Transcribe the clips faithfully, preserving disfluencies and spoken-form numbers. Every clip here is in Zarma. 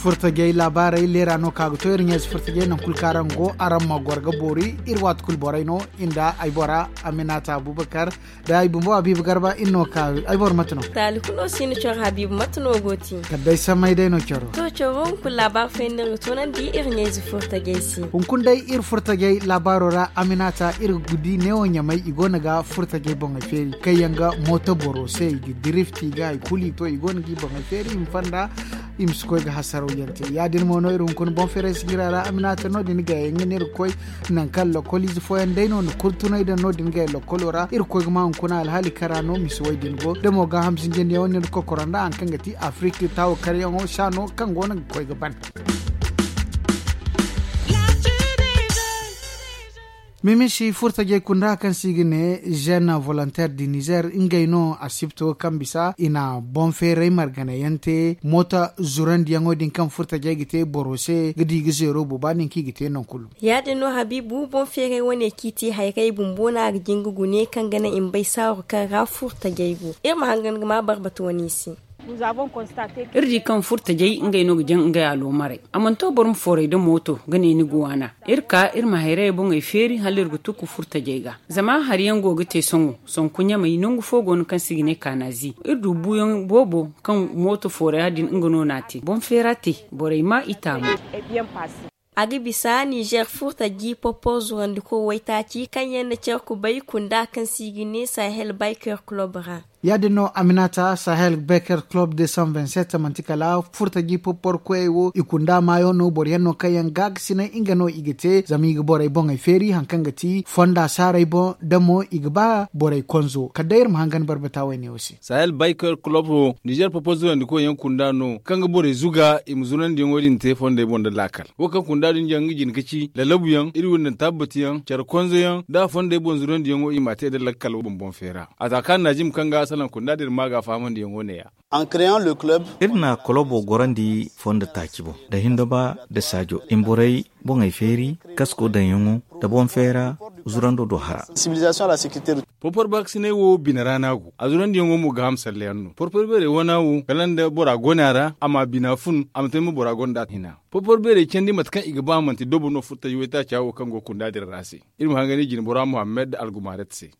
Furtajey laabaarey leera no ka ga to iri ɲayze furtajey nangu kulu kaŋ araŋ go araŋ ma goro ga boori. Iri waati kulu borey no, nda ay bora aminata abubakar, nda ay bumbo abiiba garba iri no ka. Ay boro mate no? Taali kulu no si ni coro habiiba mate no go ti? Kala day samay day no coro. To coro hunkuna laabaari fooyaŋ no iri ga toonandi iri ɲayze furtajey se. Hunkuna day iri furtajey laabaaro ra aminata iri ga di neewo ɲamay i go no ga furtajey boŋey feeri kaŋ yaŋ ga mooto boro se i ga dirifti i ga hari kulu i to i go no ga i boŋey feeri i ma fonda. I ma si koy ga hasaraw yaŋ te ya- din mo no iri hunkuna boŋ feeray sijira ra aminata no- din ga yaŋ ga ne iri ga koy nangu kaŋ lokoliize fooyaŋ day no na kurtunay daŋ no- din ga yaŋ lokolo ra iri ga koy ga ma hunkuna alhaali kara no misi way din go da mo gaaham zinjandi yaŋ wane ni ga koy koro nda hari kaŋ ga ti afirik taawo karyaŋo saano kaŋ go no ga koy ga ban. Mimisi furtajey kunda kaŋ se i ga ne jeune volontaire du nizer ngey no asibto kaŋ bisa i na boŋ feeray margana yaŋ te mooto zurandiyaŋo din kaŋ furtajey ga te boro se ga di ga zeero booba nin kaŋ i ga te nangu kulu. Ya- din no habiibu boŋ feeray wane kaŋ i te hayray bumbo no a ga jin ga gune kaŋ ga naŋ i ma bay saaru kaŋ ra furtajey go iri ma hangan ga ma barbata wane i se. Iri di kaŋ furtajey ngey no ga jaŋ ngey aloomarey a mana to boro ma fooray nda mooto ga ne ni ga waana. Iri ka iri ma hayrayey boŋey feeri hala iri ga tukku furtajey ga. Zama hari yaŋ go ga te sohõ sonku ɲamey nangu fo go no kaŋ se i ga ne kaanazi iri du buuyaŋ boobo kaŋ mooto fooraya din nga no n'a te boŋ feera te. Borey ma i taamu. A ga bisa nizer furtaji popor zurandiko waytaaci kaŋ yaŋ na care kubay kunda kaŋ se i ga ne sahel bayker kulob ra. Ya- din no aminata sahel bayker kulob deux cent vingt-sept manti kala furtaji popor koyey wo i kunda maayo no boro yaŋ no kaŋ yaŋ ga ga sinay nga no i ga te zama i ga borey boŋey feeri hari kaŋ ga ti fonda saaray boŋ da mo i ga ba borey konzo kala day iri ma hangan barbata wayne wo se. Sahel bayker kulob wo nizer popor zurandiko yaŋ kunda no kaŋ ga borey zuga i ma zurandiyaŋo din te fondey boŋ nda laakal wo kaŋ kunda din jaŋ ga jin ga ci lalabuyaŋ iri wo nda tabbatiyaŋ care konzoyaŋ da fondey boŋ zurandiyaŋo i m'a te nda lakkal boŋ boŋ feera. A za kaŋ naazim kaŋ ga a salaŋ kunda din ma ga a fahamandiyaŋo ne- ya. Iri na kolobo gorandi fondo taaci boŋ nda hindoba nda saajo i ma borey boŋey feeri kasko daŋyaŋo nda boŋ feera zurando do hara. Porpor baakasinay wo bine ra no a go a zurandiyaŋo mo gaaham sallayaŋ no porpor beerey wana wo kala nda bora gona ra a ma bina fun a ma te ma bora gonda hina. Porpor beerey candi mate kaŋ i ga ba manti dobo no furtaji waytaaca wo kaŋ go kunda din ra se. Iri ma hangani jinbora muhammad algumaret se.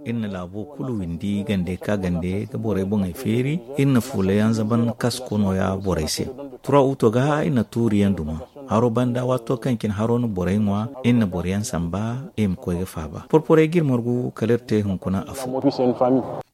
Iri na laabo kulu windi gande ka gande ga borey boŋey feeri. Iri na fuula yaŋ zaban kasko nooya borey se. Tura uto ga iri na tuuri yaŋ duma haro banda waato kaŋ cine haro na borey ŋwa. Iri na boro yaŋ samba iri ma koy ga faaba porporey ga iri margu kala iri te hunkuna afo.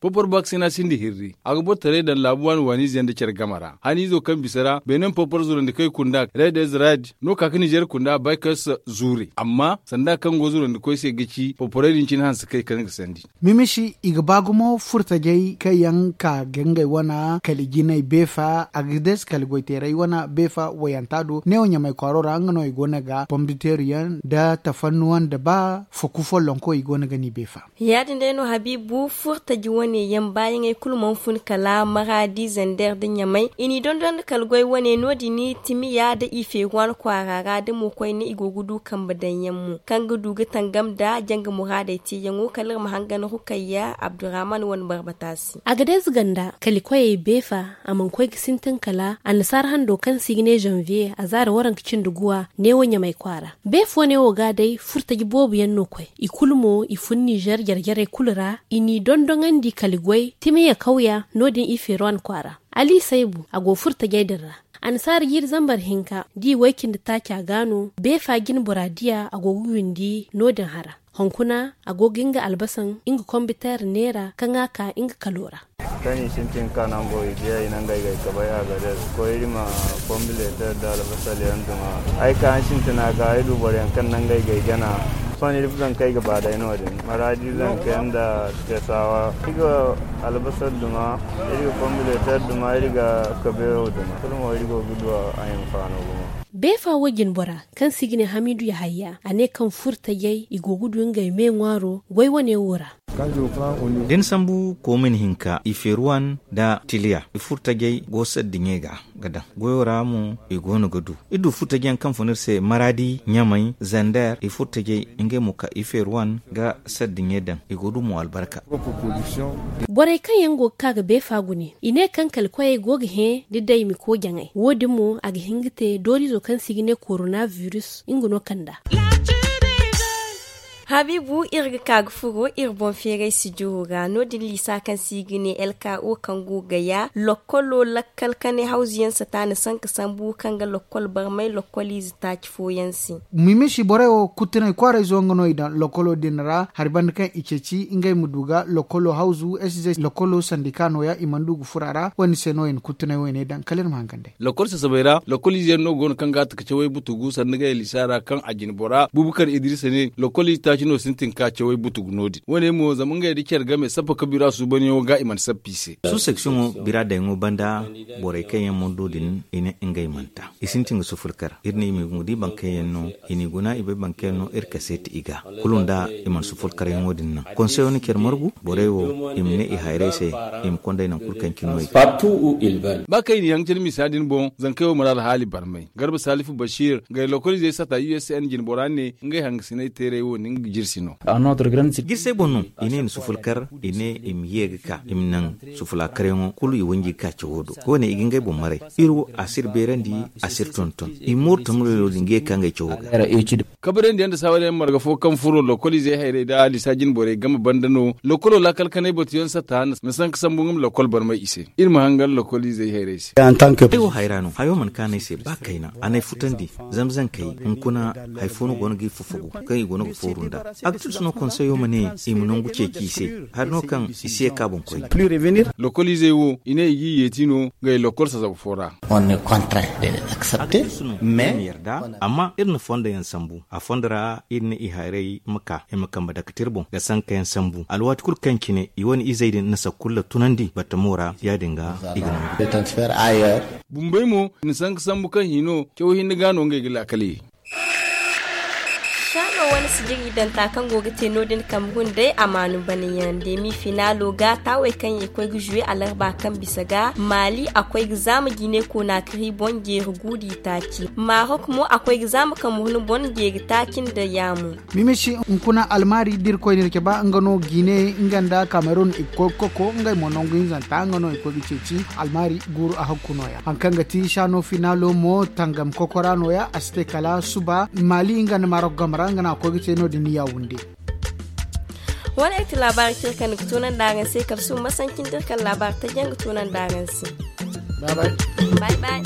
Porpor baksina sinda hirri a ga bortaray daŋ laabu waani waaniize yaŋ nda care game ra haniizo kaŋ bisa ra benin porpor zurandi kaŋ i kunda red ezrad no ka ga nizer kunda baykers zuure amma sanda kaŋ go zurandi koy se ga ci porporey din cine hanse kaŋ i kaŋ ga sandi. Mimisi i ga ba gumo furtajey kaŋ yaŋ ka ga ngey wana kala jinay beefa a ga deesi kala goyteeray wana beefa wayanta do neewo ɲamay kwaaro ra nga no i go no ga pomditeeru yaŋ nda tafannuwaŋ nda ba faku follonko i go no ga ni beefa. Ya- din day no habiibu furtaji wane yaŋ baayaŋey kulu mana fun kala maraadi zander nda ɲamay i n'i dondon nda kala goy wane no- din timiya nda i feeruwan kwaara ra da mo koyne i go ga du kambe daŋ yaŋ mo kaŋ ga du ga tangam nda janga muraadey teeyaŋo kala iri ma hangan rukayya abdurrahman wane barbata se. A ga deezi ganda kala i koyey beefa a mana koy ga sintin kala annasaara hando kaŋ se i ga ne zanviye a zaari waranka cindi guwa neewo ɲamay kwaara. Beefa wane wo ga day furtaji boobo yaŋ no koy i kulu mo i fun nizer jare-jarey kulu ra i n'i dondoŋandi kala i goy timiya kawya no- din i feeruwan kwaara. Ali saybu a go furtajey din ra. Annasaara jiiri zambar hinka da i way-cindi taaca ga no beefa jinbora diya a go ga windi no- din hara. Hunkuna a go ga nga albasaŋ nga kombiteer neera kaŋ a ka nga kalo ra. Kaŋ i sintin ka nango i diya i nangey ga ay kabay a ga dees koy iri ma pombileeter nda albasal yaŋ duma. Ay ka ay sintina ga ay du boro yaŋ kaŋ nangey ga ay gana. Sohõ iri zankey ga ba day no- din maraadi zankey nda tesawa iri ga albasal duma, iri ga pombileeter duma, iri ga kabeero duma kulu mo iri go ga du a hinfaano gumo. Beefa wo jinbora kaŋ se i ga ne hamiidu yahayya a ne kaŋ furtajey i go ga du ngey me ŋwaaro goy wane wo ra. Da ni sambu koomin hinka i feeruwan nda tiliya i furtajey go saddiɲey ga ga daŋ goyo ra mo i go no ga du. Iri du furtajey yaŋ kaŋ fun iri se maraadi ɲamay zander i furtajey. Te mo ka i feeri wane ga sardiɲey daŋ i go du mo albarka. Borey kaŋ yaŋ go ga ka ga beefa gune i ne kaŋ kala koyey go ga hẽ da day mi ko jaŋay wo-din mo a ga hin ga te dooriizo kaŋ se i ga ne korona virus nga no kand'a. Habiibu iri ga ka ga furo iri boŋ feeray sijiro ra no- din liisa kaŋ se i ga ne el ka o kaŋ go ga ya lokkolo lakkal kanay hawzu yaŋ sata na sanka sambu kaŋ ga lokkol barmay lokkoliize taaci fooyaŋ se. Mimisi borey wo kuttunay kwaarayzo nga no i daŋ lokkolo din ra hari banda kaŋ i ceeci ngey ma du ga lokkolo hawzu s z lokkolo sandika nooya i mana du ga furo a ra wo- din se no i na kuttunay wo- ne daŋ kala iri ma hangan day. Lokkol sasabay ra lokkol ize yaŋ no go no kaŋ ga a taka cawey butugu sanni ga yalisa ra kaŋ a jine bora bubukar idrisa ne lokkol ize taaci no sintin ka cawey butugu no- din wo- ne mo zama ngey da care game sappa ka bira suubanyaŋo ga i mana sappa i se. Su seksiyoŋo bira dayaŋo banda borey kaŋ yaŋ mana du din i ne ngey mana ta i sintin ga sufulkar iri ne i ma i guna di bankayaŋ no i n'i guna i bay bankayaŋ no iri kaseeti i ga kulu nda i mana sufulkaryaŋo din naŋ konseyo na care margu borey wo i ma ne i hayray se i ma konday naŋ kulu kaŋ cine no i ga. Ba kaŋ i n'i haŋ care misa din boŋ zankey wo mana alhaali barmay garba salifu bashir ngey lokoliizey sata usn jinbora ne ngey hangasinay teeray wo ni nga jirsi no. Jirsey boŋ no i ne i na sufulkar i ne i ma ye ga ka i ma naŋ sufula karyaŋo kulu i wanji ga ka cawo do wo- ne i ga ngey boŋ maray iri wo a si iri beerandi a si iri tonton i mooru tamurayno din ga ye ga ka ngey cawo ga. Kabarandi yaŋ nda saawari yaŋ marga fo kaŋ furo lokoliizey hayray nda alisa jinborey game banda no lokolo laakal kanay batuyaŋ sata na sanka sambu nga ma lokol barmay i se iri ma hangan lokoliizey hayray se. Ay wo hayra no hayo mana kaanay se ba kayna a n'ay futandi zamzankey hunkuna hari fo no go no ga i fofogu kaŋ i go no ga fooru nda. Aktiris no konseyo ma ne i ma nangu ceeci i se hari no kaŋ i si ye ka boŋ koyne. Lokoliizey wo i ne i g'i yeeti no ngey lokol sasaba fo ra. Aktiris no i ma yarda amma iri na fondo yaŋ sambu a fondo ra iri ne i hayray ma ka i ma kambe dake te iri boŋ ga sanka yaŋ sambu alwaati kulu kaŋ cine i wane izey din na sakkulla tunandi batamo ra ya- din ga i ga nangu. Bumbey mo i na sanka sambu kaŋ hino caw hinne ga no ngey ga laakal ye. Saano wane sijiri danta kaŋ go ga te no- din kambe hunday amaanu banayaŋ deemi finaalo ga taawey kaŋ ye koy ga zuwe alarba kaŋ bisa ga maali a koy ga zaama jine konaakari boŋ jeeri guudi taaci maarok mo a koy ga zaama kambe hun boŋ jeeri taaci nda yaamu. Mimisi hunkuna almaari da irkoy na iri cabe nga no jine nga nda kamerun i ga koy ga koko ngey mo nangu hinzanta nga no i koy ga ceeci almaari guuru a hakku nooya hari kaŋ ga ti saano finaalo mo tangam kokora nooya a si te kala suba maali nga nda maarok game ra nga no a koy ga te no- din yawunde. Wane ay ti laabaari kaŋ iri kande ga toonandi araŋ se kala suba masanci nda iri kande laabaari taji yaŋ ga toonandi araŋ se. Bay bay.